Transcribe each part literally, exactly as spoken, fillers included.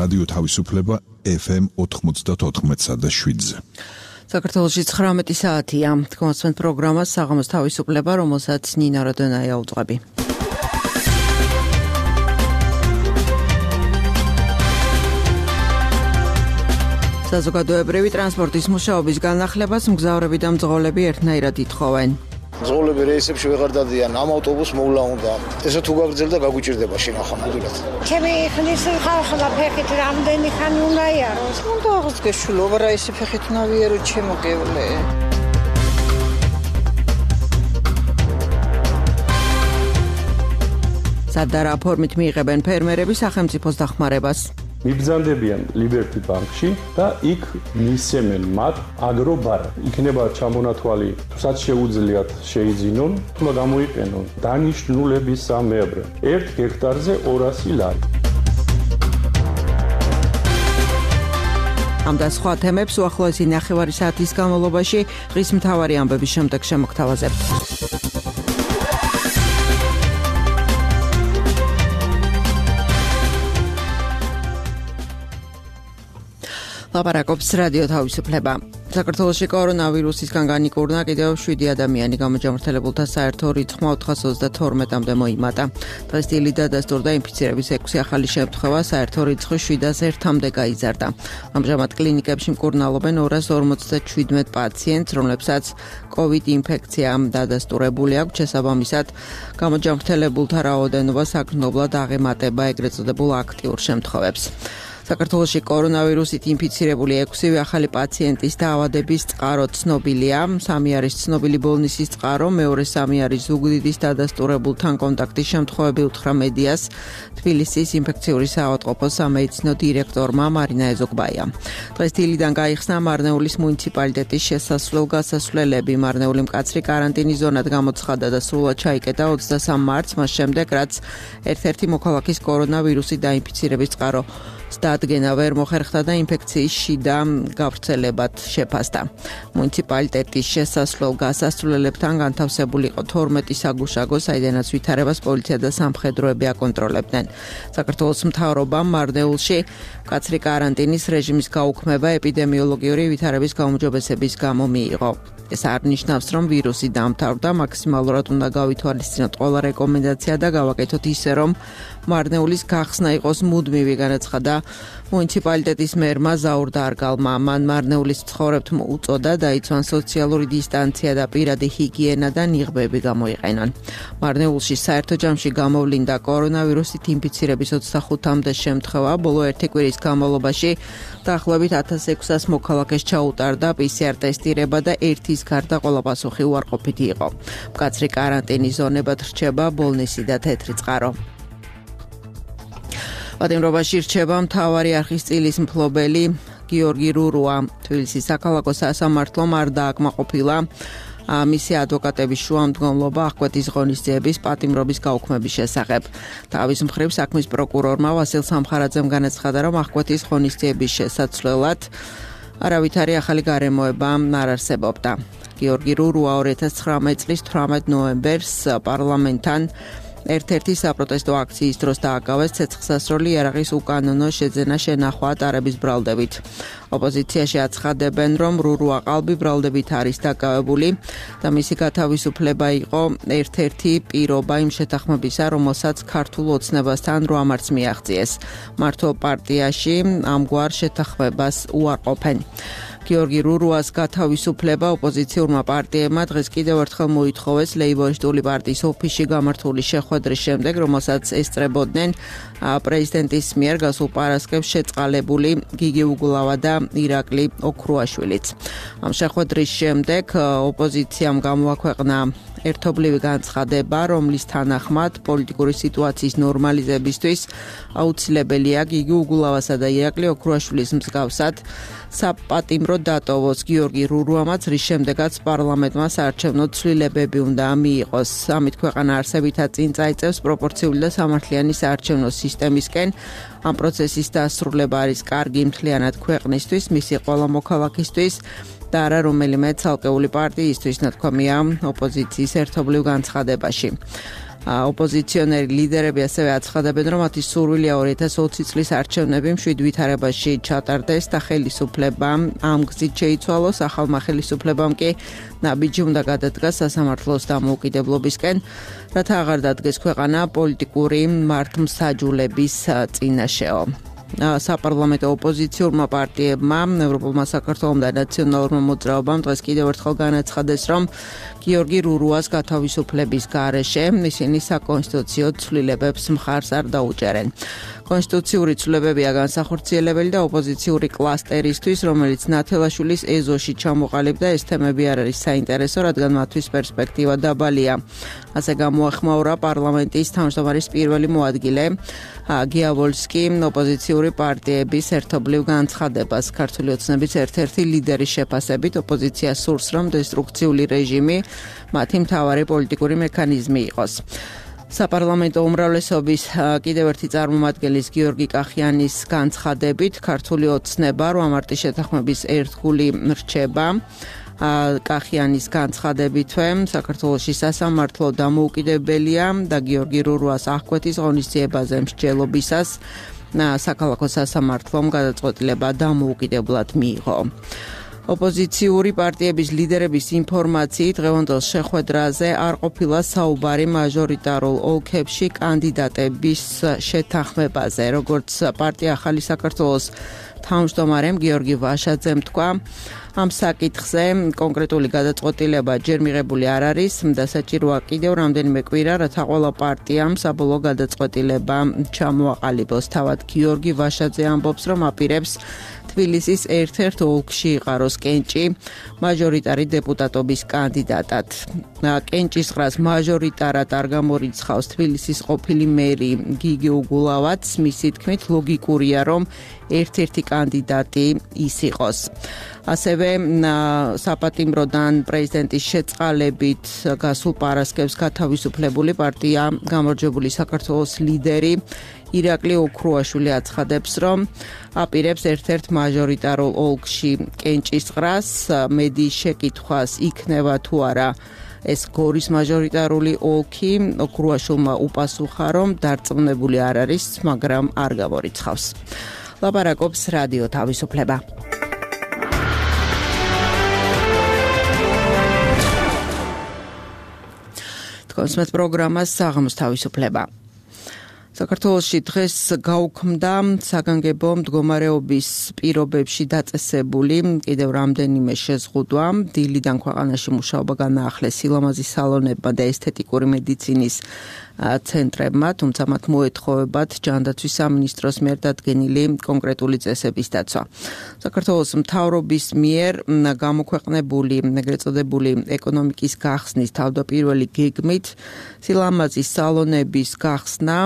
რადიო თავისუფლება ეფ ემ ოთხმოცდაოთხ და შვიდზე. საქართველოში ცხრამეტი საათია. თქვენს პროგრამას საღამოს თავისუფლება, რომელსაც ნინა როდონაია უძღვები. საზოგადოებრივი ტრანსპორტის მუშაობის განახლებას მგზავრები და მძღოლები ერთნაირად ითხოვენ. მძღოლები რეისებში ვეღარ დადიან, ამ ავტობუსს მოვლა უნდა. ესე თუ გაგრძელდა გაგუჭირდება შინახა მოდულად. ჩემი ხნის ხალხლა ფეხით რამდენი ხანი უნდა იაროს? უნდა აღოს გეშულობა რა ისე ფეხით უნდა ვიარო ჩემო გევლე. სადარა ფორმით მიიღებენ ფერმერები სახელმწიფოს დახმარებას. მიბრძანდებიან ლიბერტი ბანკში და იქ მისცემენ მათ აგრობარ. იქნება ჩამონათვალი, თუსაც შეუძლიათ შეიძინონ, თუმცა გამოიყენონ დანიშნულების სამებრ. ერთ ჰექტარზე ორასი ლარი. ამ და სხვა თემებს უახლოესი ნახევარი საათის განმავლობაში დღის მთავარი ამბების შემდეგ შემოგთავაზებთ. ლაპარაკობს რადიო თავისუფლება. საქართველოში კორონავირუსისგან განიკურნა კიდევ შვიდი ადამიანი, გამოჯამრთელებულთა საერთო რიცხვმა ოთხას ოცდათორმეტამდე მოიმატა. დღეს დილით დადასტურდა ინფიცირების ექვსი ახალი შემთხვევა, საერთო რიცხვი შვიდას ერთამდე გაიზარდა. ამჟამად კლინიკებში მკურნალობენ ორას ორმოცდაშვიდმეტ პაციენტს, რომლებსაც კოვიდ ინფექცია დადასტურებული აქვს. შესაბამისად, გამოჯამრთელებულთა რაოდენობა საგრძნობლად აღემატება ეგრეთ წოდებულ აქტიურ შემთხვევებს. საქართველოში კორონავირუსით ინფიცირებული ექვსივე ახალი პაციენტის დაავადების წყარო ცნობილია. სამი არის ცნობილი ბოლნისის წყარო, მეორე სამი არის ზუგდიდის დადასტურებულთან კონტაქტის შემთხვევები უთხრა მედიას თბილისის ინფექციური საავადმყოფოს სამედიცინო დირექტორმა მარინა ეზოგბაიამ. დღეს დილიდან გაიხსნა მარნეულის მუნიციპალიტეტის შესასვლელ-გასასვლელები. მარნეული მკაცრი კარანტინის ზონად გამოცხადა და სრულად ჩაიკეტა ოცდასამ მარტს, მას შემდეგ, რაც ერთ-ერთი მოქალაქის კორონავირუსით დაინფიცირების წყარო დადგენა ვერ მოხერხდა და ინფექციის შიდა გავრცელებად შეფასდა. მუნიციპალიტეტის შესასვლელ-გასასვლელებთან განთავსებული იყო თორმეტი საგუშაგო, საიდანაც ვითარებას პოლიცია და სამხედროები აკონტროლებდნენ. საქართველოს მთავრობამ მარნეულში მკაცრი კარანტინის რეჟიმის გაუქმება ეპიდემიოლოგიური ვითარების გაუმჯობესების გამო მიიღო. ეს არ ნიშნავს, რომ ვირუსი დამთავრდა, მაქსიმალურად უნდა გავითვალისწინოთ ყველა რეკომენდაცია და გავაკეთოთ ისე, რომ მარნეულის გახსნა იყოს მუდმივი, განაცხადა მუნიციპალიტეტის მერმა ზაურ დარგალმა. მან მარნეულის მცხოვრებთ უწოდა დაიცვან სოციალური დისტანცია და პირადი ჰიგიენა და ნიღბები გამოიყენონ. მარნეულში საერთო ჯამში გამოვლინდა კორონავირუსით ინფიცირების ოცდახუთამდე შემთხვევა, ბოლო ერთი კვირის განმავლობაში დაახლოებით ათას ექვსას მოქალაქეს ჩაუტარდა პი სი არ ტესტირება და ერთის გარდა ყველა პასუხი უარყოფითი იყო. მკაცრი კარანტინის ზონებად რჩება ბოლნისი და თეთრი წყარო. პატიმრობაში რჩება მთავარი არხისწილის მფლობელი გიორგი რურუა. თბილისის საქალაქო სასამართლომ არ დააკმაყოფილა მისი ადვოკატების შუამდგომლობა აღკვეთის ღონისძიების პატიმრობის გაუქმების შესახებ. თავის მხრივ საქმის პროკურორმა ვასილ სამხარაძემ განაცხადა, რომ აღკვეთის ღონისძიების შესაცვლელად არავითარი ახალი გარემოება არ არსებობდა. გიორგი რურუა ორი ათას ცხრამეტ წლის თვრამეტ ნოემბერს პარლამენტთან ერთ-ერთი საპროტესტო აქციის დროს დააკავეს ცეცხლსასროლი იარაღის უკანონო შეძენა შენახვა ტარების ბრალდებით. ოპოზიციაში აცხადებენ, რომ რურუა ყალბი ბრალდებით არის დაკავებული და მისი გათავისუფლება იყო ერთ-ერთი პირობა იმ შეთანხმებისა, რომელსაც ქართულ ოცნებასთან რვამარცს მიაღწიეს. მართლ პარტიაში ამგვარ შეთანხმებას უარყოფენ. გიორგი რურუას გათავისუფლება ოპოზიციურმა პარტიებმა დღეს კიდევ ერთხელ მოითხოვეს ლეიბორისტული პარტიის ოფისში გამართული შეხვედრის შემდეგ, რომელსაც ესწრებოდნენ პრეზიდენტის მიერ გასულ პარასკევს შეწყალებული გიგი უგულავა და ირაკლი ოქრუაშვილიც. ამ შეხვედრის შემდეგ ოპოზიციამ გამოაქვეყნა ერთობლივი განცხადება, რომლის თანახმად პოლიტიკური სიტუაციის ნორმალიზებისთვის აუცილებელია გიგი უგულავასა და ირაკლი ოქრუაშვილის მსგავსად საპატიმრო დატოვოს. გიორგი რურუამაც, რის შემდეგაც პარლამენტმა საარჩევნო ცვლილებები უნდა მიიღოს. ამით ქვეყანა არსებითად წინ წაიწევს პროპორციული და სამართლიანი საარჩევნო სისტემისკენ. ამ პროცესის დასრულება არის კარგი მთლიანად ქვეყნისთვის, მისი ყველა მოქალაქისთვის და არა რომელიმე ცალკეული პარტიისთვის, ნათქვამია ოპოზიციის ერთობლივ განცხადებაში. ოპოზიციონერი ლიდერები ასევე აცხადებენ, რომ მათი სურვილია ორი ათას ოცი წლის არჩევნები მშვიდ ვითარებაში ჩატარდეს და ხელისუფლებამ ამ გზით შეიცვალოს, ახალმა ხელისუფლებამ კი ნაბიჯი უნდა გადადგას სასამართლოს დამოუკიდებლობისკენ, რათა აღარ დადგეს ქვეყანა პოლიტიკური მართლმსაჯულების წინაშეო. საპარლამენტო ოპოზიციურმა პარტიებმა, ევროპულმა საქართველომ და ნაციონალურმა მოძრაობამ დღეს კიდევ ერთხელ განაცხადეს, რომ გიორგი რურუას გათავისუფლების გარეშე ისინი საკონსტიტუციო ცვლილებებს მხარს არ დაუჭერენ. კონსტიტუციური ცვლილებებია განსახორციელებელი და ოპოზიციური კლასტერისთვის, რომელიც ნათელაშვილის ეზოში ჩამოყალიბდა, ეს თემები არ არის საინტერესო, რადგან მათთვის პერსპექტივა დაბალია. ასე გამოახმაურა პარლამენტის თავმჯდომარის პირველი მოადგილე გია ვოლსკი ოპოზიციური პარტიების ერთობლივ განცხადებას. ქართული ოცნების ერთ-ერთი ლიდერის შეფასებით ოპოზიცია სურს, რომ დესტრუქციული რეჟიმი მათი მთავარი პოლიტიკური მექანიზმი იყოს. საპარლამენტო უმრავლესობის კიდევ ერთი წარმომადგენლის გიორგი კახიანის განცხადებით ქართული ოცნება რვა მარტის შეთანხმების ერთგული რჩება. კახიანის განცხადებითვე საქართველოში სასამართლო დამოუკიდებელია და გიორგი რურუას აღკვეთის ღონისძიებაზე მსჯელობისას საქალაქო სასამართლომ გადაწყვეტილება დამოუკიდებლად მიიღო. ოპოზიციური პარტიების ლიდერების ინფორმაციით დღევანდელ შეხვედრაზე არ ყოფილა საუბარი მაჟორიტარულ ოლქებში კანდიდატების შეთანხმებაზე, როგორც პარტია ახალი საქართველოს თავმჯდომარემ გიორგი ვაშაძემ თქვა, ამ საკითხზე კონკრეტული გადაწყვეტილება ჯერ მიღებული არ არის და საჭიროა კიდევ რამდენიმე კვირა, რათა ყველა პარტიამ საბოლოო გადაწყვეტილება ჩამოაყალიბოს. თავად გიორგი ვაშაძე ამბობს, რომ აპირებს თბილისის ერთ-ერთ ოლქში იყაროს კენჭი მაჟორიტარი დეპუტატობის კანდიდატად. კენჭისყრას მაჟორიტარად არ გამორიცხავს თბილისის ყოფილი მერი გიგი უგულავაც, მისი თქმით ლოგიკურია, რომ ერთ-ერთი კანდიდატი ის იყოს. ასევე საპატიმროდან პრეზიდენტის შეწყალებით გასულ პარასკევს გათავისუფლებული პარტია გამარჯვებული საქართველოს ლიდერი ირაკლი ოქრუაშვილი აცხადებს, რომ აპირებს ერთ-ერთ მაჟორიტარულ ოლქში კენჭისყრას, მედიის შეკითხვას იქნება თუ არა ეს გორის მაჟორიტარული ოლქი. ოქრუაშვილმა უპასუხა, რომ დარწმუნებული არ არის, მაგრამ არ გამორიცხავს. ლაპარაკობს რადიო თავისუფლება. კონსმეთ პროგრამას საღამოს თავისუფლება. საქართველოში დღეს გაუქმდა საგანგებო მდგომარეობის პირობებში დაწესებული კიდევ რამდენიმე შეზღუდვა. დილიდან ქვეყანაში მუშაობა განაახლეს სილამაზის სალონებმა და ესთეტიკური მედიცინის ცენტრებმა, თუმცა მათ მოეთხოვებათ ჯანდაცვის სამინისტროს მიერ დადგენილი კონკრეტული წესების დაცვა. საქართველოს მთავრობის მიერ გამოქვეყნებული ეგრეთ წოდებული ეკონომიკის გახსნის თავდაპირველი გეგმით სილამაზის სალონების გახსნა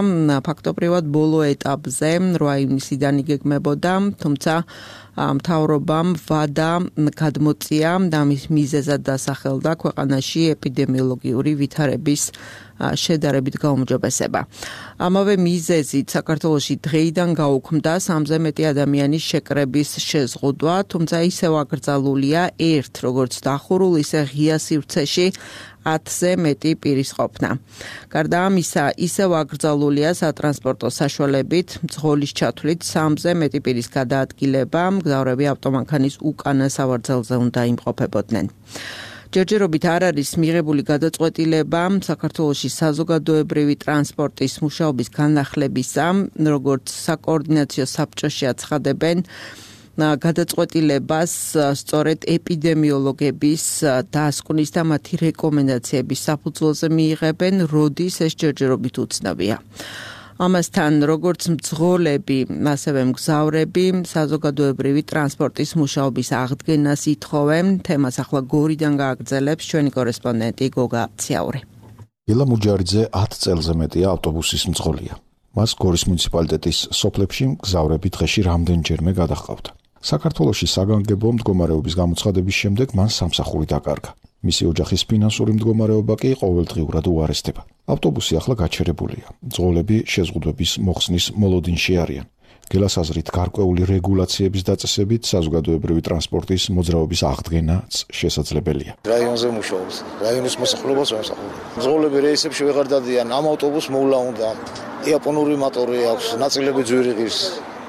ფაქტობრივად ბოლო ეტაპზე რვა ივნისიდან იგეგმებოდა, თუმცა მთავრობამ ვადა გადმოწია და მის მიზეზად დასახელდა ქვეყანაში ეპიდემიოლოგიური ვითარების შედარებით გაუმჯობესება. ამავე მიზეზით საქართველოში დღეიდან გაუქმდა სამზე მეტი ადამიანის შეკრების შეზღუდვა, თუმცა ისევ აკრძალულია ერთ, როგორც დახურულ, ისე ღია სივრცეში ათზე მეტი პირის ყოფნა. გარდა ამისა, ისევ აკრძალულია სატრანსპორტო საშუალებით მძღოლის ჩათვლით სამზე მეტი პირის გადაადგილება, მგზავრები ავტომანქანის უკანა სავარძელზე უნდა იმყოფებოდნენ. ჯერჯერობით არ არის მიღებული გადაწყვეტილება საქართველოში საზოგადოებრივი ტრანსპორტის მუშაობის განახლებისა, როგორც საკოორდინაციო საბჭოში აცხადებენ, გადაწყვეტილებას სწორედ ეპიდემიოლოგების დასკვნის და მათი რეკომენდაციების საფუძველზე მიიღებენ, როდის ეს ჯერჯერობით უცნობია. ამასთან, როგორც მძღოლები, ასევე მგზავრები საზოგადოებრივი ტრანსპორტის მუშაობის აღდგენას ითხოვენ. თემას ახლა გორიდან გააგრძელებს ჩვენი კორესპონდენტი გოგა ციაური. ილა მუჯარიძე ათ წელზე მეტია ავტობუსის მძღოლია. მას გორის მუნიციპალიტეტის სოფლებში მგზავრები დღეში რამდენჯერმე გადაჰყავდა. საქართველოში საგანგებო მდგომარეობის გამოცხადების შემდეგ მან სამსახური დაკარგა. მისი ოჯახის ფინანსური მდგომარეობა კი ყოველდღიურად უარესდება. ავტობუსი ახლა გაჩერებულია. მძღოლები შეზღუდვების მოხსნის მოლოდინში არიან. გელას აზრით, გარკვეული რეგულაციების დაწესებით საზოგადოებრივი ტრანსპორტის მოძრაობის აღდგენაც შესაძლებელია. რაიონზე მუშაობს, რაიონის მოსახლეობას ვემსახურებ. მძღოლები რეისებში ვეღარ დადიან, ამ ავტობუსს მოვლა უნდა. იაპონური მოტორი აქვს, ნაწილები ძვირი ღირს.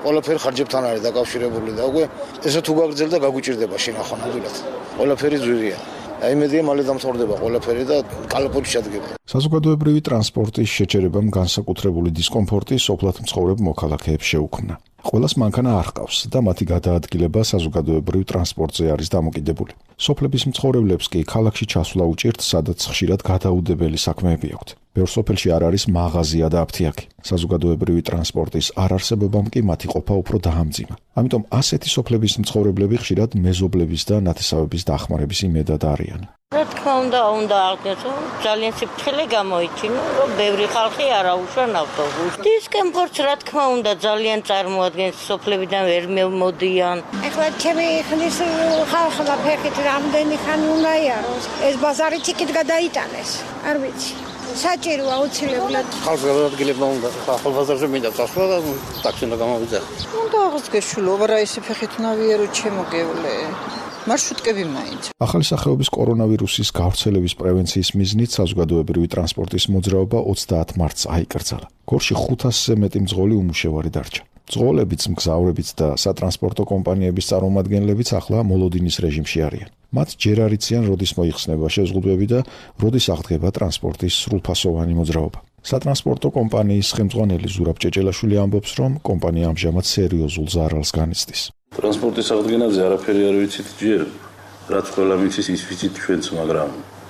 ყველაფერი ხარჯებთან არის დაკავშირებული და უკვე ესე თუ გაგრძელდა გაგვიჭირდება შინახო ნამდვილად. ყველაფერი ძვირია. აი მედია მალე დამთავრდება ყველაფერი და კალაპოტი შედგება. საზოგადოებრივი ტრანსპორტის შეჩერებამ განსაკუთრებული დისკომფორტი სოფლად მცხოვრებ მოქალაქეებს შეუქმნა. ყველას მანქანა არ ჰყავს და მათი გადაადგილება საზოგადოებრივ ტრანსპორტზე არის დამოკიდებული. სოფლების მცხოვრებლებს კი ქალაქში ჩასვლა უჭირთ, სადაც ხშირად გადაუდებელი საქმეები აქვთ. ბევრ სოფელში არ არის მაღაზია და აფთიაქი. საზოგადოებრივი ტრანსპორტის არარსებობამ კი მათი ყოფა უფრო დაამძიმა. ამიტომ ასეთი სოფლების მცხოვრებლები ხშირად მეზობლების და ნათესავების დახმარების იმედად არიან. რა თქმა უნდა, უნდა აღდგეს, ძალიან სიფრთხილე გამოიჩინო, რომ ბევრი ხალხი არ აუშვა ავტობუსს. დისკომფორტს რა თქმა უნდა ძალიან წარმოადგენს, სოფლებიდან ვერ მოდიან. ეხლა ჩემი ხნის ხალხმა ფეხით რამდენი ხანი უნდა იაროს. ეს ბაზარიც იქით გადაიტანეს. არ ვიცი. საჭიროა აუცილებლად. ხალხს გადაადგილებმა უნდა. ახალ ბაზარზე მინდა წასვლა და ტაქსი უნდა გამოვიძახო. უნდა აღდგეს შულო, რა ისე ფეხით ნავიერო ჩემოგევლე. მარშრუტკები მაინც. ახალი სახეობის კორონავირუსის გავრცელების პრევენციის მიზნით საზოგადოებრივი ტრანსპორტის მოძრაობა ოცდაათ მარტს აიკრძალა. გორში ხუთასზე მეტი მძღოლი უმუშევარი დარჩა. მძღოლებიც, მგზავრებიც და სატრანსპორტო კომპანიების წარმომადგენლებიც ახლა მოლოდინის რეჟიმში არიან. მათ ჯერ არ იციან, როდის მოიხსნება შეზღუდვები და როდის აღდგება ტრანსპორტის სრულფასოვანი მოძრაობა. სატრანსპორტო კომპანიის ხელმძღვანელი ზურაბ ჭეჭელაშვილი ამბობს, რომ კომპანია ამჟამად სერიოზულ ზარალს განიცდის. ტრანსპორტის აღდგენაზე არაფერი არ ვიცით ჯერ, რაც ყველა მიცის ის ვიცით ჩვენც, მაგრამ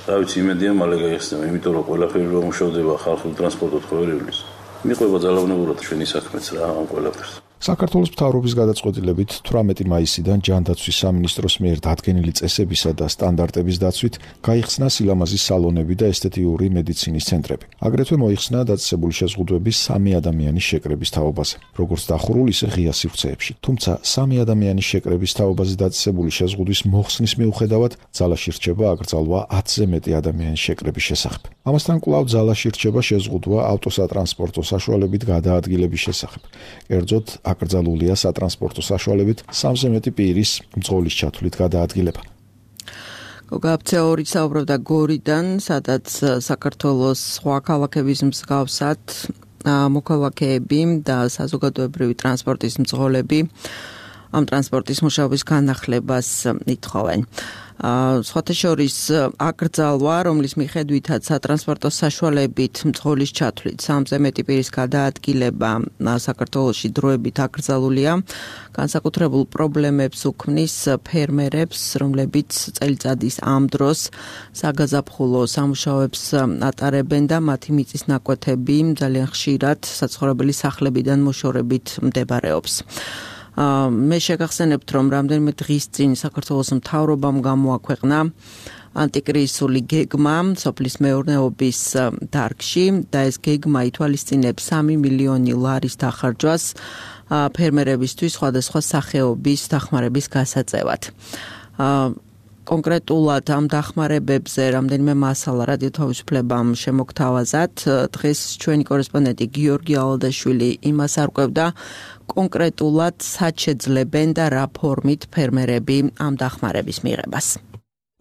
რა ვიცი, იმედია მალე გაიხსნება, იმიტომ რომ ყველაფერი რომ მუშავდება ხალხურ ტრანსპორტად ხოვერევლის. მიყვება ძალაუნებურად ჩვენი საქმეც რა ამ ყველაფერს. საქართველოს მთავრობის გადაწყვეტილებით თვრამეტი მაისიდან ჯანდაცვის სამინისტროს მიერ დადგენილი წესებისა და სტანდარტების დაცვით გაიხსნა სილამაზის სალონები და ესთეტიური მედიცინის ცენტრები. აგრეთვე მოიხსნა დაწესებული შეზღუდვების სამი ადამიანის შეკრების თაობაზე, როგორც დახურულ, ისე ღია სივრცეებში. თუმცა სამი ადამიანის შეკრების თაობაზე დაწესებული შეზღუდვის მოხსნის მიუხედავად ძალაში რჩება აკრძალვა ათზე მეტი ადამიანის შეკრების შესახებ. ამასთან კვლავ ძალაში რჩება შეზღუდვა ავტოსატრანსპორტო საშუალებით გადაადგილების შესახებ. კერძოდ აკრძალულია სატრანსპორტო საშუალებით სამზე მეტი პირის მძღოლის ჩათვლით გადაადგილება. გოგაბცეორი საუბრობდა გორიდან, სადაც საქართველოს სხვა ქალაქების მსგავსად მოქალაქეები და საზოგადოებრივი ტრანსპორტის მძღოლები ამ ტრანსპორტის მუშაობის განახლებას ითხოვენ. სხვათა შორის აკრძალვა, რომლის მიხედვითაც სატრანსპორტო საშუალებით მძღოლის ჩათვლით სამზე მეტი პირის გადაადგილება საქართველოში დროებით აკრძალულია, განსაკუთრებულ პრობლემებს უქმნის ფერმერებს, რომლებიც წელიწადის ამ დროს საგაზაფხულო სამუშაოებს ატარებენ და მათი მიწის ნაკვეთები ძალიან ხშირად საცხოვრებელი სახლებიდან მოშორებით მდებარეობს. მე შეგახსენებთ, რომ რამდენიმე დღის წინ საქართველოს მთავრობამ გამოაქვეყნა ანტიკრიზისული გეგმა სოფლის მეურნეობის დარგში და ეს გეგმა ითვალისწინებს სამი მილიონი ლარის დახარჯვას ფერმერებისთვის სხვადასხვა სახეობის დახმარების გასაწევად. კონკრეტულად ამ დახმარებებზე რამდენიმე მასალა რადიო თავისუფლებამ შემოგთავაზათ. დღეს ჩვენი კორესპონდენტი გიორგი ალადაშვილი იმას არკვევდა, კონკრეტულად სად შეძლებენ და რა ფორმით ფერმერები ამ დახმარების მიღებას.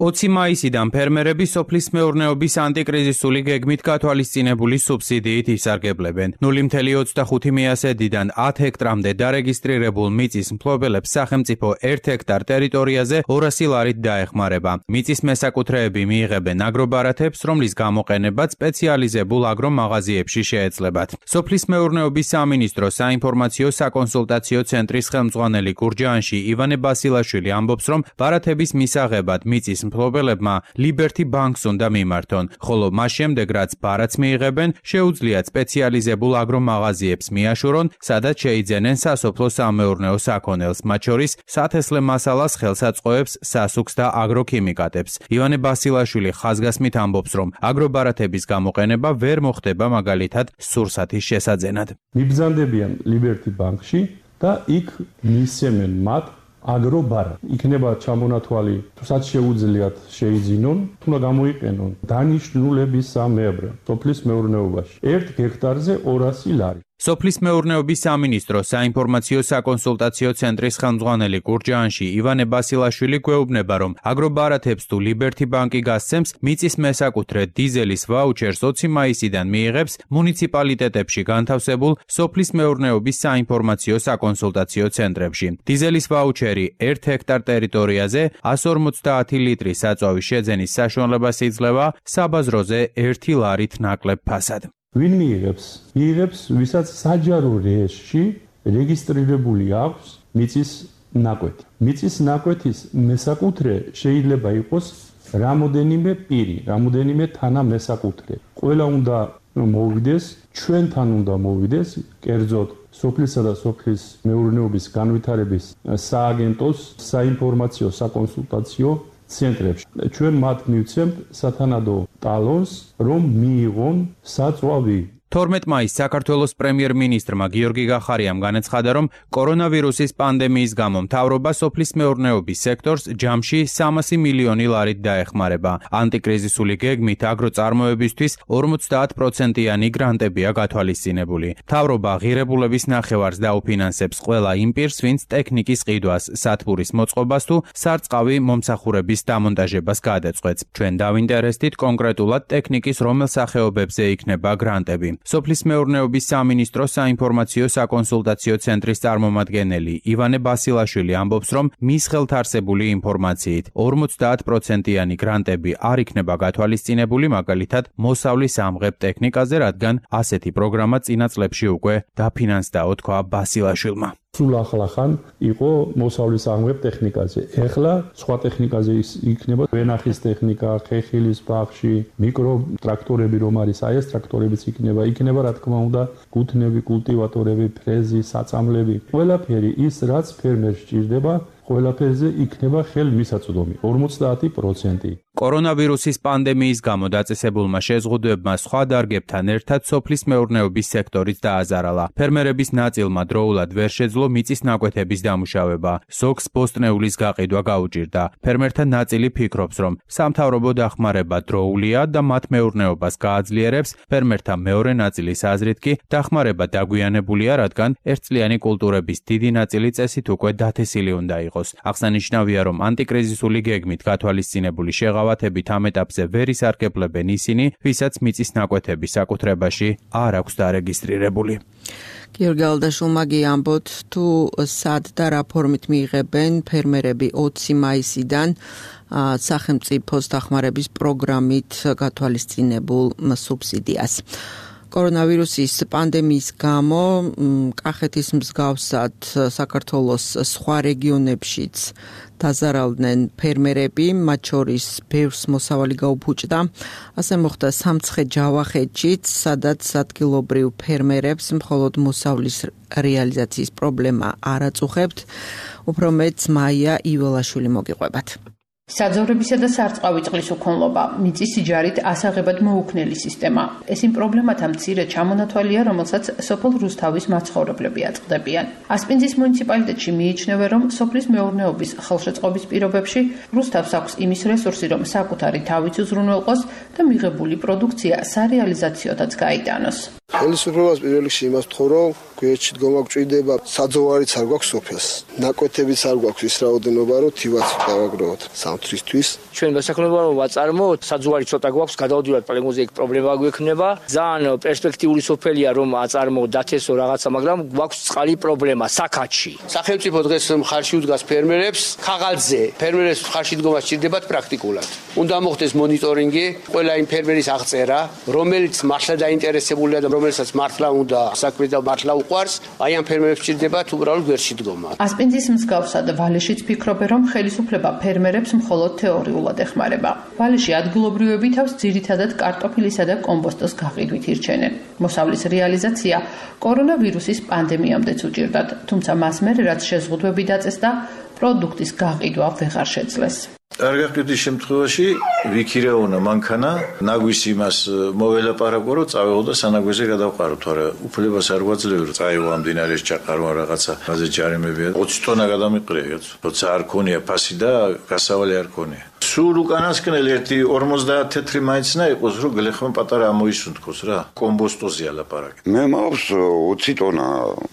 ოცი მაისიდან ფერმერები სოფლის მეურნეობის ანტიკრიზისული გეგმით გათვალისწინებული სუბსიდიით ისარგებლებენ. ნული მცდე ოცდახუთი მიასედიდან ათ ჰექტრამდე დარეგისტრირებულ მიწის მფლობელებს სახელმწიფო ერთ ჰექტარ ტერიტორიაზე ორასი ლარით დაეხმარება. მიწის მესაკუთრეები მიიღებენ აგრობარათებს, რომლის გამოყენებაც სპეციალიზებულ აგრომაღაზიებში შეეძლებათ. სოფლის მეურნეობის სამინისტროს საინფორმაციო საკონსულტაციო ცენტრის ხელმძღვანელი გურჯაანში ივანე ბასილაშვილი ამბობს, რომ ბარათების მისაღებად მიწის მფლობელებმა ლიბერტი ბანკს უნდა მიმართონ, ხოლო მას შემდეგ რაც ბარათს მიიღებენ, შეუძლიათ სპეციალიზებულ აგრომაღაზიებს მიაშურონ, სადაც შეიძენენ სასოფლო-სამეურნეო საქონელს, მათ შორის სათესლე მასალას, ხელსაწყოებს, სასუქს და აგროქიმიკატებს. ივანე ბასილაშვილი ხაზგასმით ამბობს, რომ აგრობარათების გამოყენება ვერ მოხდება მაგალითად სურსათის შესაძენად. მიბრძანდებიან ლიბერტი ბანკში და იქ მისცემენ მათ აგრობარა. იქნება ჩამონათვალი, თუსაც შეუძლიათ შეიძინონ, თუნდა გამოიყენონ დანიშნულების სამებრ სოფლის მეურნეობაში. ერთ ჰექტარზე ორასი ლარი. სოფლის მეურნეობის სამინისტრო საინფორმაციო საკონსულტაციო ცენტრის ხელმძღვანელი გურჯაანში ივანე ბასილაშვილი გვეუბნება, რომ აგრობარათებს თუ ლიბერთი ბანკი გასცემს მიწის მესაკუთრე დიზელის ვაუჩერს ოცი მაისიდან მიიღებს მუნიციპალიტეტებში განთავსებულ სოფლის მეურნეობის საინფორმაციო საკონსულტაციო ცენტრებში. დიზელის ვაუჩერი ერთ ჰექტარ ტერიტორიაზე one fifty ლიტრის საწვავის შეძენის საშუალებას იძლევა საბაზროზე ერთი ლარით ნაკლებ ფასად. ვინ მიიღებს? მიიღებს, ვისაც საჯარო რეესტრში რეგისტრირებული აქვს მიწის ნაკვეთი. მიწის ნაკვეთის მესაკუთრე შეიძლება იყოს რამოდენიმე პირი, რამოდენიმე თანამესაკუთრე. ყველა უნდა მოვიდეს, ჩვენთან უნდა მოვიდეს, კერძოდ სოფლისა და სოფლის მეურნეობის განვითარების სააგენტოს საინფორმაციო საკონსულტაციო ცენტრებში. ჩვენ მათ მივცემთ სათანადო ტალონს, რომ მიიღონ საწვავი. თორმეტ მაისს საქართველოს პრემიერ-მინისტრმა გიორგი გახარიამ განაცხადა, რომ კორონავირუსის პანდემიის გამო მთავრობა სოფლის მეურნეობის სექტორს ჯამში სამასი მილიონი ლარით დაეხმარება. ანტიკრიზისული გეგმით აგროწარმოებისთვის ორმოცდაათ პროცენტიანი გრანტებია გათვალისწინებული. მთავრობა ღირებულების ნახევარს დაუფინანსებს ყველა იმ პირს, ვინც ტექნიკის ყიდვას, სათბურის მოწყობას თუ სარწყავი მომსახურების დამონტაჟებას გადაწყვეტს. ჩვენ დავინტერესდით კონკრეტულად ტექნიკის რომელ სახეობებზე იქნება გრანტები. სოფლის მეურნეობის სამინისტროს საინფორმაციო საკონსულტაციო ცენტრის წარმომადგენელი ივანე ბასილაშვილი ამბობს, რომ მის ხელთ არსებული ინფორმაციით ორმოცდაათ პროცენტიანი გრანტები არ იქნება გათვალისწინებული, მაგალითად მოსავლის ამღებ ტექნიკაზე, რადგან ასეთი პროგრამა წინა წლებში უკვე დაფინანსდაო, თქვა ბასილაშვილმა. სულ ახლახან იყო მოსავლის ამღებ ტექნიკაზე. ეხლა სხვა ტექნიკაზე იქნება ვენახის ტექნიკა, ხეხილის ბაღში, მიკრო ტრაქტორები რომ არის, აი ეს ტრაქტორებიც იქნება, იქნება რა თქმა უნდა გუთნები, კულტივატორები, ფრეზი, საწამლები. ყველაფერი ის, რაც ფერმერს სჭირდება, ყველაფერზე იქნება ხელმისაწვდომი ორმოცდაათი პროცენტი. კორონავირუსის პანდემიის გამო დაწესებულმა შეზღუდვებმა სხვა დარგებთან ერთად სოფლის მეურნეობის სექტორიც დააზარალა. ფერმერების ნაწილმა დროულად ვერ შეძლო მიწის ნაკვეთების დამუშავება. ზოგს ბოსტნეულის გაყიდვა გაუჭირდა. ფერმერთა ნაწილი ფიქრობს, რომ სამთავრობო დახმარება დროულია და მათ მეურნეობას გააძლიერებს. ფერმერთა მეორე ნაწილის აზრით კი დახმარება დაგვიანებულია, რადგან ერთწლიანი კულტურების დიდი ნაწილი წესით უკვე დათესილი უნდა იყოს. აღსანიშნავია, რომ ანტიკრიზისული გეგმით გათვალისწინებული შეღავათებით ამ ეტაპზე ვერ ისარგებლებენ ისინი, ვისაც მიწის ნაკვეთები საკუთრებაში არ აქვს დარეგისტრირებული. გიორგი ალდაშვილმა გიამბოთ, თუ სად და რა ფორმით მიიღებენ ფერმერები ოცი მაისიდან სახელმწიფოს დახმარების პროგრამით გათვალისწინებულ სუბსიდიას. კორონავირუსის პანდემიის გამო კახეთის მსგავსად საქართველოს სხვა რეგიონებშიც დაზარალდნენ ფერმერები, მათ შორის ბევრს მოსავალი გაუფუჭდა. ასე მოხდა სამცხე-ჯავახეთშიც, სადაც ადგილობრივ ფერმერებს მხოლოდ მოსავლის რეალიზაციის პრობლემა არ აწუხებთ. უფრო მეტს მაია იველაშვილი მოგიყვებათ. საძოვრებისა და სარწყავი წყლის უქონლობა, მიწის სიჯარით ასაღებად მოუქნელი სისტემა. ეს იმ პრობლემათა მცირე ჩამონათვალია, რომელსაც სოფელ რუსთავის მაცხოვრებლები აწყდებიან. ასპინძის მუნიციპალიტეტში მიიჩნევენ, რომ სოფლის მეურნეობის ხელშეწყობის პირობებში რუსთავს აქვს იმის რესურსი, რომ საკუთარი თავიც უზრუნველყოს და მიღებული პროდუქცია სარეალიზაციოდაც გაიტანოს. ხელისუფლებას პირველ რიგში იმას ვთხოვ, რომ გვერდში დგომა გვჭირდება, საძოვარიც არ გვაქვს სოფელს. ნაკვეთებიც არ გვაქვს ის რაოდენობა, რომ თივაც დავაგროვოთ სამთრისთვის. ჩვენ მოსახლეობა რომ ვაწარმოოთ, საძოვარი ცოტა გვაქვს, გადავდივართ პლეგმოზე, იქ პრობლემა გვექნება. ძალიან პერსპექტიული სოფელია რომ აწარმოოთ, დათესო რაღაცა, მაგრამ გვაქვს წყალი პრობლემა საქაჩში. სახელმწიფო დღეს მხარში უდგას ფერმერებს, ქაღალდზე ფერმერებს მხარში დგომა სჭირდებათ პრაქტიკულად. უნდა მოხდეს მონიტორინგი, ყველა იმ ფერმერის აღწერა, რომელიც მართლა დაინტერესებულია და რომელსაც მართლა უნდა საქმე და მართლა უყვარს, აი ამ ფერმერებს სჭირდებათ უბრალოდ გვერდში დგომა. ასპინძის მსგავსად ვალეშიც ფიქრობენ, რომ ხელისუფლება ფერმერებს მხოლოდ თეორიულად ეხმარება. ვალეში ადგილობრივები თავს ძირითადად კარტოფილისა და კომბოსტოს გაყიდვით ირჩენენ. მოსავლის რეალიზაცია კორონავირუსის პანდემიამდეც უჭირდათ, თუმცა მას მერე რაც შეზღუდვები დაწესდა, პროდუქტის გაყიდვა ვეღარ შეძლეს. არ გაყიდვის შემთხვევაში ვიქირეონა მანქანა ნაგვის იმას მოველაპარაკო, რომ წავეღო და სანაგვეზე გადავყარო, თორე უფლებას არ გვაძლევ, რომ წაიღო ამ დინარეს ჩაყარო რაღაცა, მაზე ჯარიმებია. ოცი ტონა გადამიყრია, როცა არ ქონია ფასი და გასავალი არ ქონია. სულ უკანასკნელი ერთი ორმოცდაათ თეთრი მაინცნა იყოს, რომ გლეხმა პატარა ამოისუნთქოს რა. კომბოსტოზია ლაპარაკი. მე მაქვს ოცი ტონა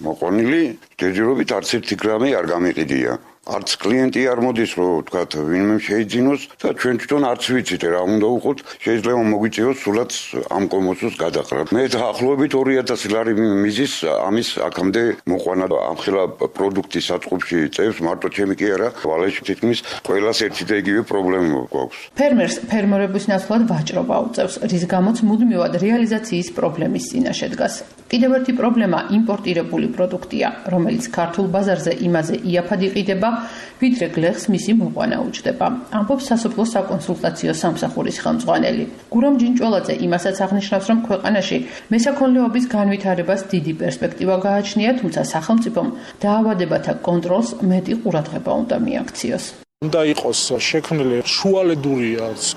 მოყონილი, ჯერჯერობით არც ერთი გრამი არ გამიყიდია. არც კლიენტი არ მოდის, რომ ვთქვათ, ვინმე შეიძინოს და ჩვენ თვითონ არც ვიცით რა უნდა უყოთ, შეიძლება მოგვიწევოს სულაც ამ კომოსოს გადაყრა. მე დაახლოებით ორი ათასი ლარი მიზის ამის აქამდე მოყვანა ამხელა პროდუქტის საწყობში წევს, მარტო ჩემი კი არა, ვალეში თითქმის ყველას ერთი და იგივე პრობლემა გვაქვს. ფერმერს ფერმერების ნაცვლად ვაჭრობა უწევს, რის გამოც მუდმივად რეალიზაციის პრობლემის წინაშე დგას. კიდევ ერთი პრობლემა იმპორტირებული პროდუქტია, რომელიც ქართულ ბაზარზე იმაზე იაფად იყიდება, ვიდრე გლეხს მისი მოყვანა უჯდება. ამბობს სასოფლო საკონსულტაციო სამსახურის ხელმძღვანელი. გურამ ჯინჭველაძე იმასაც აღნიშნავს, რომ ქვეყანაში მესაქონლეობის განვითარებას დიდი პერსპექტივა გააჩნია, თუმცა სახელმწიფომ დაავადებათა კონტროლს მეტი ყურადღება უნდა მიაქციოს. უნდა იყოს შექმნილი შუალედური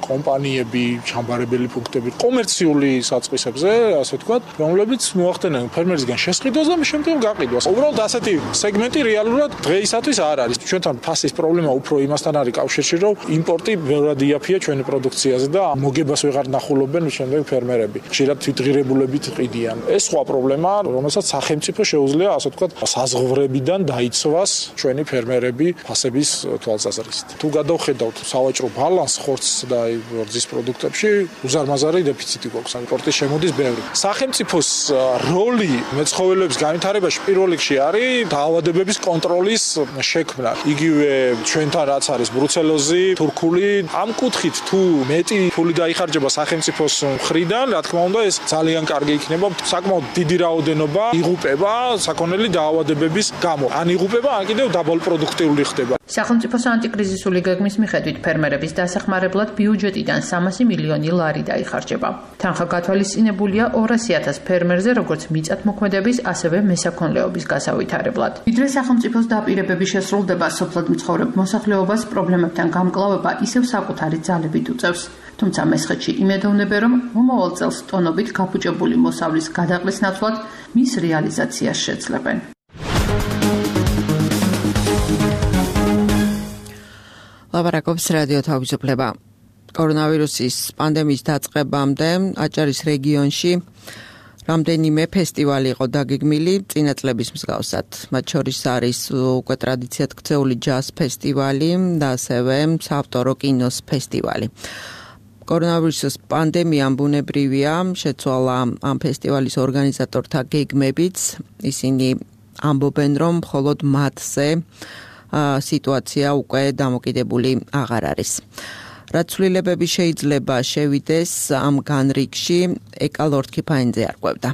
კომპანიები, ჩამბარებელი პუნქტები კომერციული საწყისებზე, ასე ვთქვათ, რომლებიც მოახდენენ ფერმერისგან შესყიდვას და შემდგომ გაყიდვას. უბრალოდ ასეთი სეგმენტი რეალურად დღეისათვის არ არის. ჩვენთან ფასის პრობლემა უფრო იმასთან არის კავშირში, რომ იმპორტი ბევრად იაფია ჩვენი პროდუქციაზე და მოგებას ვეღარ ნახულობენ შემდეგ ფერმერები. ხშირად თვითღირებულებით ყიდიან. ეს სხვა პრობლემა, რომელსაც სახელმწიფო შეუძლია, ასე ვთქვათ, საზღვრებიდან დაიცვას ჩვენი ფერმერები ფასების თვალსაზრისით. თუ გადავხედავთ სავაჭრო ბალანს ხორცს და რძის პროდუქტებში, უზარმაზარი დეფიციტი გვაქვს, იმპორტის შემოდის ბევრი. სახელმწიფოს როლი მეცხოველეობის განვითარებაში პირველ რიგში არის დაავადებების კონტროლის შექმნა. იგივე ჩვენთან რაც არის ბრუცელოზი, თურქული, ამ კუთხით თუ მეტი ფული დაიხარჯება სახელმწიფოს მხრიდან, რა თქმა უნდა, ეს ძალიან კარგი იქნება. საკმაოდ დიდი რაოდენობა იღუპება საქონელი დაავადებების გამო. ან იღუპება, ან კიდევ დაბალპროდუქტიული ხდება. სახელმწიფოს ანტიკრიზისული გეგმის მიხედვით ფერმერების დასახმარებლად ბიუჯეტიდან სამასი მილიონი ლარი დაიხარჯება. თანხა გათვალისწინებულია ორასი ათას ფერმერზე, როგორც მიწათმოქმედების, ასევე მესაქონლეობის გასავითარებლად. ვიდრე სახელმწიფოს დაპირებები შესრულდება, სოფლად მცხოვრებ მოსახლეობას პრობლემებთან გამკლავება ისევ საკუთარი ძალებით უწევს. თუმცა მესხეთში იმედოვნებენ, რომ მომავალ წელს ტონობით გაფუჭებული მოსავლის გადაყრის ნაცვლად მის რეალიზაციას შეძლებენ. ლაპარაკობს რადიო თავისუფლება. კორონავირუსის პანდემიის დაწყებამდე აჭარის რეგიონში რამდენიმე ფესტივალი იყო დაგეგმილი წინა წლების მსგავსად. მათ შორის არის უკვე ტრადიციად ქცეული ჯაზ ფესტივალი და ასევე საავტორო კინოს ფესტივალი. კორონავირუსის პანდემიამ ბუნებრივია შეცვალა ამ ფესტივალის ორგანიზატორთა გეგმებიც. ისინი ამბობენ, რომ მხოლოდ მათზე სიტუაცია უკვე დამოკიდებული აღარ არის. რაც ცვლილებები შეიძლება შევიდეს ამ განრიგში, ეკალორთ ქიფაინძე არკვევდა.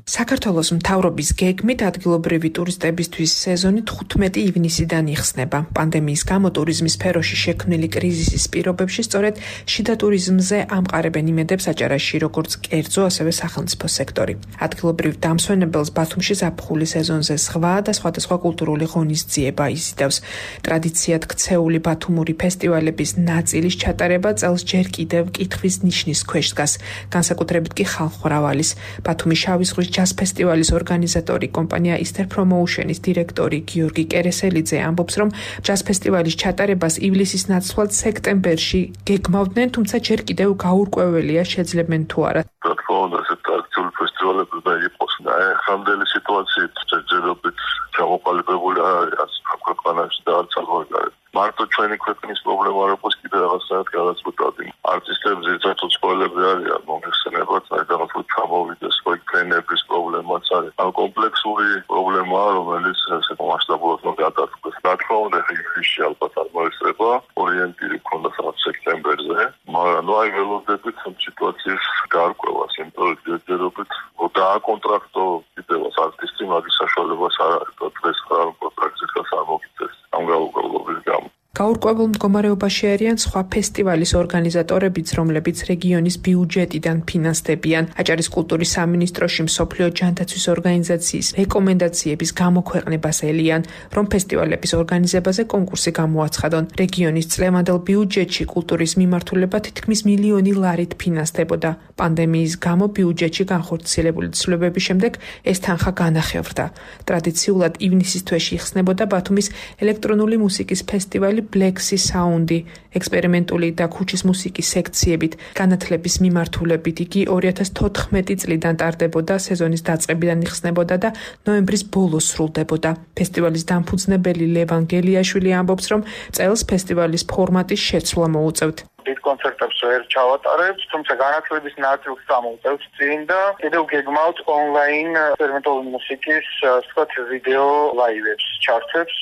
საქართველოს მთავრობის გეგმით ადგილობრივი ტურისტებისთვის სეზონი თხუთმეტი ივნისიდან იხსნება. პანდემიის გამო ტურიზმის სფეროში შექმნილი კრიზისის პირობებში სწორედ შიდა ტურიზმზე ამყარებენ იმედებს აჭარაში როგორც კერძო, ასევე სახელმწიფო სექტორი. ადგილობრივ დამსვენებელს ბათუმში ზაფხული სეზონზე სხვა და სხვადასხვა კულტურული ღონისძიება იზიდავს. ტრადიციად ქცეული ბათუმური ფესტივალების ნაწილის ჩატარება წელს ჯერ კიდევ კითხვის ნიშნის ქვეშ დგას. განსაკუთრებით კი ხალხმრავალის. ბათუმის შავი ზღვის ჯაზ ფესტივალის ორგანიზატორი კომპანია Easter Promotion-ის დირექტორი გიორგი კერესელიძე ამბობს, რომ ჯაზ ფესტივალის ჩატარებას ივლისის ნაცვლად სექტემბერში გეგმავდნენ, თუმცა ჯერ კიდევ გაურკვეველია შეძლებენ თუ არა. რა თქმა უნდა, ეს ტრადიციული ფესტივალები უნდა იყოს და ეხანდელი სიტუაციით ჯერჯერობით ჩამოყალიბებული არის ამ ქვეყანაში და არც აღარ მარტო ჩვენი ქვეყნის პრობლემა არ იყოს კიდე რაღაცნაირად გადაწყვეტად. არტისტებს ზეცათო ცხოველები არიან მომხსენებად, საერთოდ ჩამოვიდეს სხვა ტრენერების პრობლემაც არის. ამ კომპლექსური პრობლემაა, რომელიც ესე მასშტაბურად უნდა გადაწყვეტოს. რა თქმა უნდა, ივნისში ალბათ არ მოესწრება, ორიენტირი ქონდა სადღაც სექტემბერზე, მაგრამ ნუ აი ველოდებით სიტუაციის გარკვევას, იმიტომ რომ ჯერჯერობით დააკონტრაქტო კიდევაც არტისტი, მაგის საშუალებას არ არის და დღეს ხარ კონტრაქტის გასამოგიწეს ამ გაუგებრობის გამო. გაურკვეველ მდგომარეობაში არიან სხვა ფესტივალის ორგანიზატორებიც, რომლებიც რეგიონის ბიუჯეტიდან ფინანსდებიან. აჭარის კულტურის სამინისტროში მსოფლიო ჯანდაცვის ორგანიზაციის რეკომენდაციების გამოქვეყნებას ელიან, რომ ფესტივალების ორგანიზებაზე კონკურსი გამოაცხადონ. რეგიონის წლევანდელ ბიუჯეტში კულტურის მიმართულება თითქმის მილიონი ლარით ფინანსდებოდა. პანდემიის გამო ბიუჯეტში განხორციელებული ცვლილებების შემდეგ ეს თანხა განახევრდა. ტრადიციულად ივნისის თვეში იხსნებოდა ბათუმის ელექტრონული მუსიკის ფესტივალი Black Sea Sound-ი ექსპერიმენტული და ქუჩის მუსიკის სექციებით, განათლების მიმართულებით იგი ორი ათას თოთხმეტი წლიდან ტარდებოდა, სეზონის დაწყებიდან იხსნებოდა და ნოემბრის ბოლოს სრულდებოდა. ფესტივალის დამფუძნებელი ლევან გელიაშვილი ამბობს, რომ წელს ფესტივალის ფორმატის შეცვლა მოუწევთ. დიდ კონცერტებს ვერ ჩავატარებთ, თუმცა განათლების ნაწილს წამოვწევთ წინ და კიდევ გეგმავთ ონლაინ ექსპერიმენტული მუსიკის, ვთქვათ, ვიდეო ლაივებს, ჩარტებს,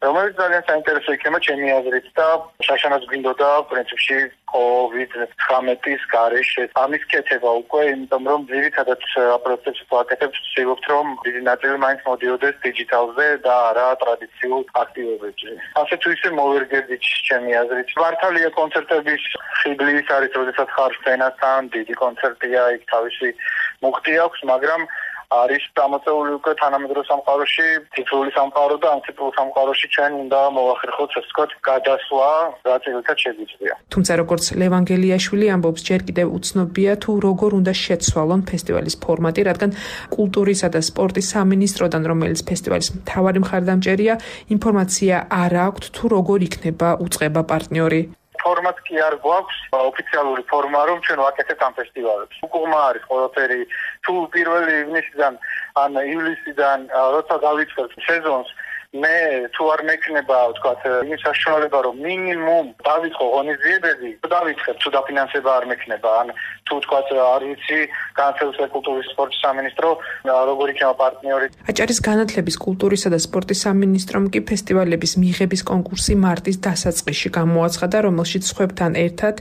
რომელიც ძალიან საინტერესო იქნება ჩემი აზრით და შაშანაც გვინდოდა პრინციპში კოვიდ ცხრამეტის გარეშე ამის კეთება უკვე, იმიტომ რომ ძირითადად პროცესს ვაკეთებთ, ვცდილობთ რომ დიდი ნაწილი მაინც მოდიოდეს დიჯიტალზე და არა ტრადიციულ აქტივობებში. ასე თუ ისე მოვერგებდით ჩემი აზრით. მართალია კონცერტების ხიბლი ის არის, როდესაც ხარ სცენასთან, დიდი კონცერტია, იქ თავისი მუხტი აქვს, მაგრამ არის დამოწეული უკვე თანამედროვე სამყაროში, ციფრული სამყარო და ამ ციფრულ სამყაროში ჩვენ უნდა მოვახერხოთ, ასე ვთქვათ, გადასვლა, რაც ერთად შეგვიძლია. თუმცა როგორც ლევან გელიაშვილი ამბობს, ჯერ კიდევ უცნობია თუ როგორ უნდა შეცვალონ ფესტივალის ფორმატი, რადგან კულტურისა და სპორტის სამინისტროდან, რომელიც ფესტივალის მთავარი მხარდამჭერია, ინფორმაცია არ აქვთ თუ როგორ იქნება უწყება პარტნიორი. ფორმატ კი არ გვაქვს ოფიციალური ფორმა, რომ ჩვენ ვაკეთებთ ამ ფესტივალებს. უკუღმა არის ყველაფერი, თუ პირველი ივნისიდან ან ივლისიდან როცა დავიწყებთ სეზონს, მე თუ არ მექნება, ვთქვათ, იმის საშუალება, რომ მინიმუმ დავიწყო ღონისძიებები, დავიწყებ, თუ დაფინანსება არ მექნება, ან თუ ვთქვათ, არ ვიცი, განათლების კულტურის სპორტის სამინისტრო როგორ იქნება პარტნიორი. აჭარის განათლების, კულტურისა და სპორტის სამინისტრომ კი ფესტივალების მიღების კონკურსი მარტის დასაწყისში გამოაცხადა, რომელშიც სხვებთან ერთად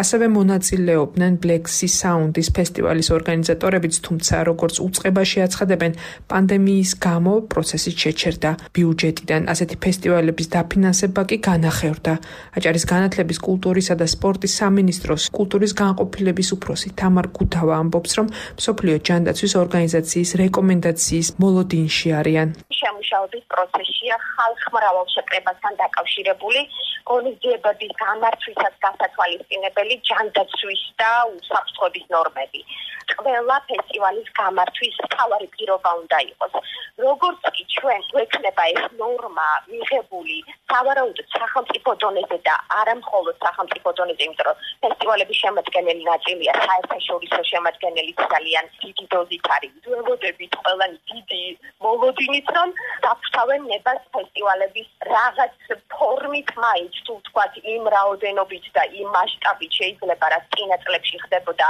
ასევე მონაწილეობდნენ Black Sea Sound-ის ფესტივალის ორგანიზატორებიც, თუმცა როგორც უწყებაში აცხადებენ, პანდემიის გამო პროცესი შეჩერდა. ბიუჯეტიდან ასეთი ფესტივალების დაფინანსება კი განახევრდა. აჭარის განათლების, კულტურისა და სპორტის სამინისტროს კულტურის განყოფილების უფროსი თამარ გუდავა ამბობს, რომ მსოფლიო ჯანდაცვის ორგანიზაციის რეკომენდაციის მოლოდინში არიან. შემუშავების პროცესია ხალხმრავალ შეკრებასთან დაკავშირებული ღონისძიებების გამართვისას გასათვალისწინებელი ჯანდაცვის და უსაფრთხოების ნორმები. ყველა ფესტივალის გამართვის მთავარი პირობა უნდა იყოს. როგორც კი ჩვენ გვექნება ეს ნორმა მიღებული სავარაუდოდ სახელმწიფო დონეზე და არა მხოლოდ სახელმწიფო დონეზე, იმიტომ რომ ფესტივალების შემადგენელი ნაწილია საერთაშორისო შემადგენელი ძალიან დიდი დოზით არის. ველოდებით ყველანი დიდი მოლოდინით, რომ დაფთავენ ნებას ფესტივალების რაღაც ფორმით მაინც თუ ვთქვათ იმ რაოდენობით და იმ მასშტაბით შეიძლება რაც წინა წლებში ხდებოდა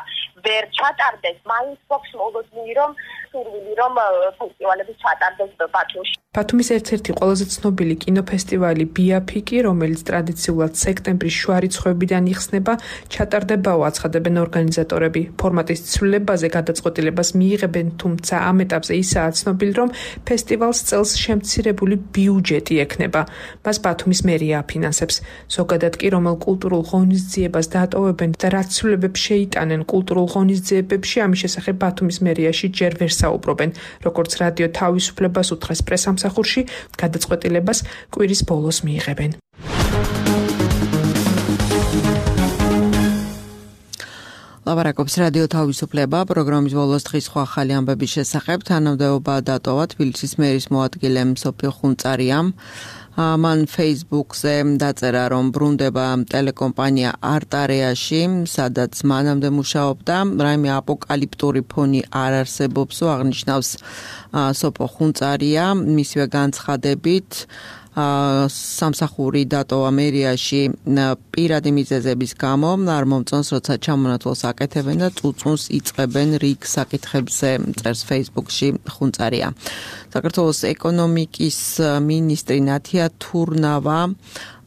ვერ ჩატარდეს, მაინც გვაქვს მოლოდინი, რომ სურვილი რომ ფესტივალები ჩატარდეს ბათუმში. ბათუმის ერთ-ერთი ყველაზე ცნობილი კინოფესტივალი ბიაფიკი, რომელიც ტრადიციულად სექტემბრის შუა რიცხვებიდან იხსნება, ჩატარდებაო აცხადებენ ორგანიზატორები. ფორმატის ცვლილებაზე გადაწყვეტილებას მიიღებენ, თუმცა ამ ეტაპზე ისაა ცნობილი, რომ ფესტივალს წელს შემცირებული ბიუჯეტი ექნება. მას ბათუმის მერია აფინანსებს. ზოგადად კი რომელ კულტურულ ღონისძიებას დაატოვებენ და რაც ცვლილებებს შეიტანენ კულტურულ ღონისძიებებში, ამის შესახებ ბათუმის მერიაში ჯერ ვერ საუბრობენ. როგორც რადიო თავისუფლებას უთხრეს პრესამსახურში, გადაწყვეტილებას კვირის ბოლოს მიიღებენ. ლაპარაკობს რადიო თავისუფლება, პროგრამის ბოლოს დღის სხვა ახალი ამბების შესახებ, თანამდებობა დატოვა თბილისის მერის მოადგილემ სოფიო ხუნწარიამ. მან Facebook-ზე დაწერა, რომ ბრუნდება ტელეკომპანია არტარეაში, სადაც მანამდე მუშაობდა, რაიმე აპოკალიპტური ფონი არ არსებობსო, აღნიშნავს სოფო ხუნწარია, მისივე განცხადებით სამსახური დატოვა მერიაში პირადი მიზეზების გამო, არ მომწონს, როცა ჩამონათვალს აკეთებენ და წუწუნს იწყებენ რიგ საკითხებზე, წერს Facebook-ში ხუნწარია. საქართველოს ეკონომიკის მინისტრი ნათია თურნავა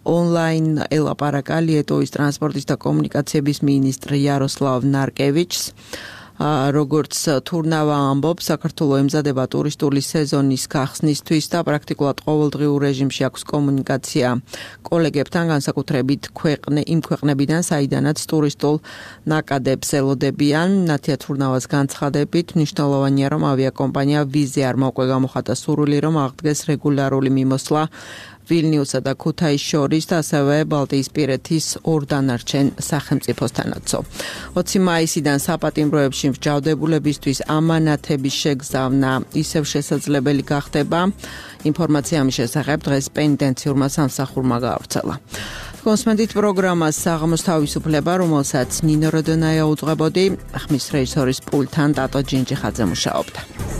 ონლაინ ელაპარაკა ლიეტოვის ტრანსპორტის და კომუნიკაციების მინისტრ იაროსლავ ნარკევიჩს. როგორც თურნავა ამბობს, საქართველოს ემზადება ტურისტული სეზონის გახსნისთვის და პრაქტიკულად ყოველდღიურ რეჟიმში აქვს კომუნიკაცია კოლეგებთან, განსაკუთრებით ქვეყნე იმ ქვეყნებიდან, საიდანაც ტურისტულ ნაკადებს ელოდებიან. ნათია თურნავას განცხადებით, მნიშვნელოვანია, რომ ავიაკომპანია ვიზზე არ მოყვე გამოხატა სურვილი, რომ აღდგეს რეგულარული მიმოსვლა ვილნიუსსა და ქუთაისს შორის და ასევე ბალტიისპირეთის ორ დანარჩენ სახელმწიფოსთანაცო. ოცი მაისიდან საპატიმროებში მსჯავრდებულებისთვის ამანათების შეგზავნა ისევ შესაძლებელი გახდება. ინფორმაცია ამის შესახებ დღეს პენიტენციურმა სამსახურმა გაავრცელა. კონსმენდით პროგრამას საღამოს თავისუფლება, რომელსაც ნინო როდონაია უძღვებოდი, ხმის რეჟისორის პულტთან ტატო ჯინჯიხაძე მუშაობდა.